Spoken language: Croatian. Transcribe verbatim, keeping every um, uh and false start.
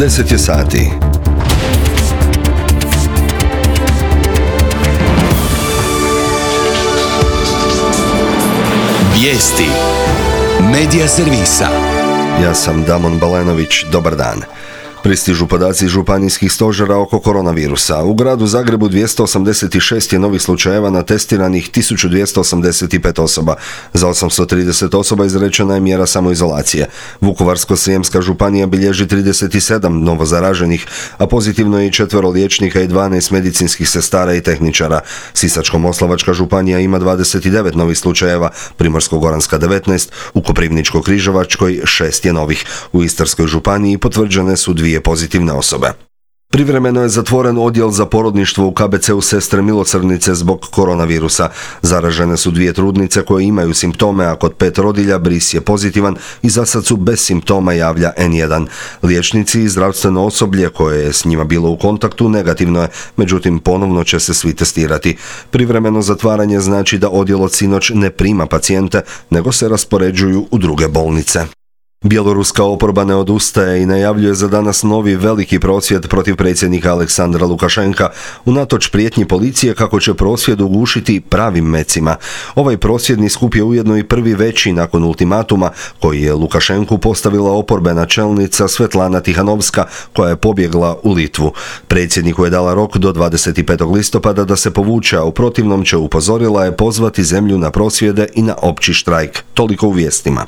deset je sati. Vijesti Medija servisa. Ja sam Damon Balenović, dobar dan. Pristižu podaci županijskih stožera oko koronavirusa. U gradu Zagrebu dvjesto osamdeset šest je novih slučajeva na testiranih tisuću dvjesto osamdeset pet osoba. Za osamsto trideset osoba izrečena je mjera samoizolacije. Vukovarsko-srijemska županija bilježi trideset sedam novozaraženih, a pozitivno je i četvero liječnika i dvanaest medicinskih sestara i tehničara. Sisačko-moslavačka županija ima dvadeset devet novih slučajeva, Primorsko-goranska devetnaest, u Koprivničko-križevačkoj šest je novih. U Istarskoj županiji potvrđene su dvije pozitivne osobe. Privremeno je zatvoren odjel za porodništvo u K B C-u Sestre Milosrdnice zbog koronavirusa. Zaražene su dvije trudnice koje imaju simptome, a kod pet rodilja bris je pozitivan i za sad su bez simptoma, javlja en jedan. Liječnici i zdravstveno osoblje koje je s njima bilo u kontaktu negativno je, međutim ponovno će se svi testirati. Privremeno zatvaranje znači da odjel od sinoć ne prima pacijente, nego se raspoređuju u druge bolnice. Bjeloruska oporba ne odustaje i najavljuje za danas novi veliki prosvjed protiv predsjednika Aleksandra Lukašenka, unatoč prijetnji policije kako će prosvjed ugušiti pravim mecima. Ovaj prosvjedni skup je ujedno i prvi veći nakon ultimatuma koji je Lukašenku postavila oporbena čelnica Svetlana Tihanovska, koja je pobjegla u Litvu. Predsjedniku je dala rok do dvadeset petog listopada da se povuče, a u protivnom će, upozorila je, pozvati zemlju na prosvjede i na opći štrajk. Toliko u vijestima.